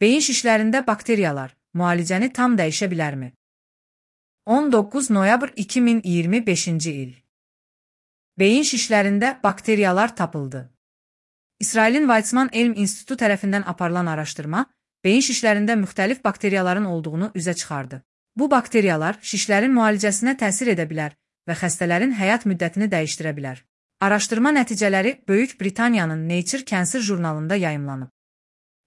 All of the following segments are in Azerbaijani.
Beyin şişlərində bakteriyalar müalicəni tam dəyişə bilərmi? 19 noyabr 2025-ci il. Beyin şişlərində bakteriyalar tapıldı. İsrailin Weizmann Elm İnstitutu tərəfindən aparılan araşdırma, beyin şişlərində müxtəlif bakteriyaların olduğunu üzə çıxardı. Bu bakteriyalar şişlərin müalicəsinə təsir edə bilər və xəstələrin həyat müddətini dəyişdirə bilər. Araşdırma nəticələri Böyük Britaniyanın Nature Cancer jurnalında yayımlanıb.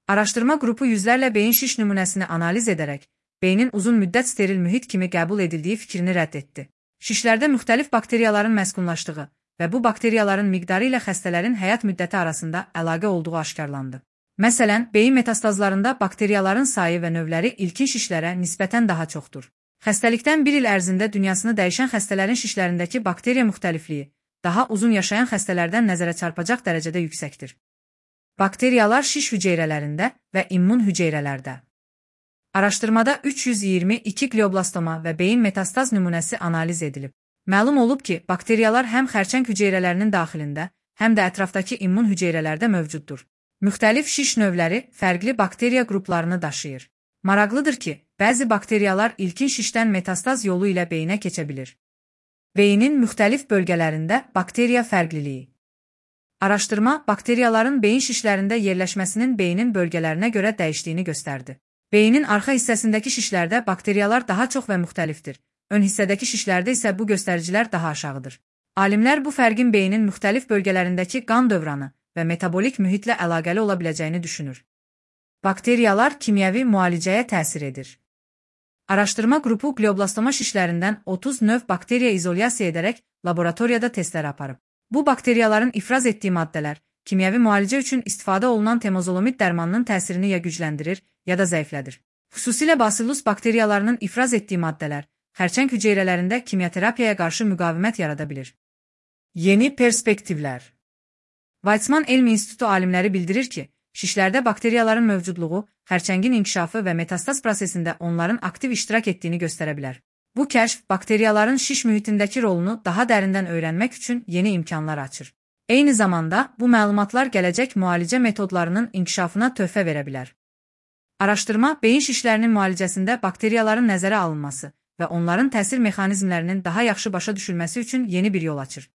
Araşdırma qrupu yüzlərlə beyin şiş nümunəsini analiz edərək, beynin uzun müddət steril mühit kimi qəbul edildiyi fikrini rədd etdi. Şişlərdə müxtəlif bakteriyaların məskunlaşdığı və bu bakteriyaların miqdarı ilə xəstələrin həyat müddəti arasında əlaqə olduğu aşkarlandı. Məsələn, beyin metastazlarında bakteriyaların sayı və növləri ilkin şişlərə nisbətən daha çoxdur. Xəstəlikdən bir il ərzində dünyasını dəyişən xəstələrin şişlərindəki bakteriya müxtəlifliyi daha uzun yaşayan xəstələrdən nəzərə çarpacaq dərəcədə yüksəkdir. Bakteriyalar şiş hüceyrələrində və immun hüceyrələrdə. Araşdırmada 322 glioblastoma və beyin metastaz nümunəsi analiz edilib. Məlum olub ki, bakteriyalar həm xərçəng hüceyrələrinin daxilində, həm də ətrafdakı immun hüceyrələrdə mövcuddur. Müxtəlif şiş növləri fərqli bakteriya qruplarını daşıyır. Maraqlıdır ki, bəzi bakteriyalar ilkin şişdən metastaz yolu ilə beyinə keçə bilir. Beynin müxtəlif bölgələrində bakteriya fərqliliyi. Araşdırma, bakteriyaların beyin şişlərində yerləşməsinin beynin bölgələrinə görə dəyişdiyini göstərdi. Beynin arxa hissəsindəki şişlərdə bakteriyalar daha çox və müxtəlifdir. Ön hissədəki şişlərdə isə bu göstəricilər daha aşağıdır. Alimlər bu fərqin beynin müxtəlif bölgələrindəki qan dövranı və metabolik mühitlə əlaqəli ola biləcəyini düşünür. Bakteriyalar kimyəvi müalicəyə təsir edir. Araşdırma qrupu glioblastoma şişlərindən 30 növ bakteriya izolyasiya edərək laboratoriyada testlər aparıb. Bu bakteriyaların ifraz etdiyi maddələr kimyəvi müalicə üçün istifadə olunan temozolomid dərmanının təsirini ya gücləndirir, ya da zəiflədir. Xüsusilə Bacillus bakteriyalarının ifraz etdiyi maddələr xərçəng hüceyrələrində kimyaterapiyaya qarşı müqavimət yarada bilir. Yeni perspektivlər. Weizmann Elm İnstitutu alimləri bildirir ki, şişlərdə bakteriyaların mövcudluğu xərçəngin inkişafı və metastaz prosesində onların aktiv iştirak etdiyini göstərə bilər. Bu kəşf bakteriyaların şiş mühitindəki rolunu daha dərindən öyrənmək üçün yeni imkanlar açır. Eyni zamanda bu məlumatlar gələcək müalicə metodlarının inkişafına töhfə verə bilər. Araşdırma, beyin şişlərinin müalicəsində bakteriyaların nəzərə alınması və onların təsir mexanizmlərinin daha yaxşı başa düşülməsi üçün yeni bir yol açır.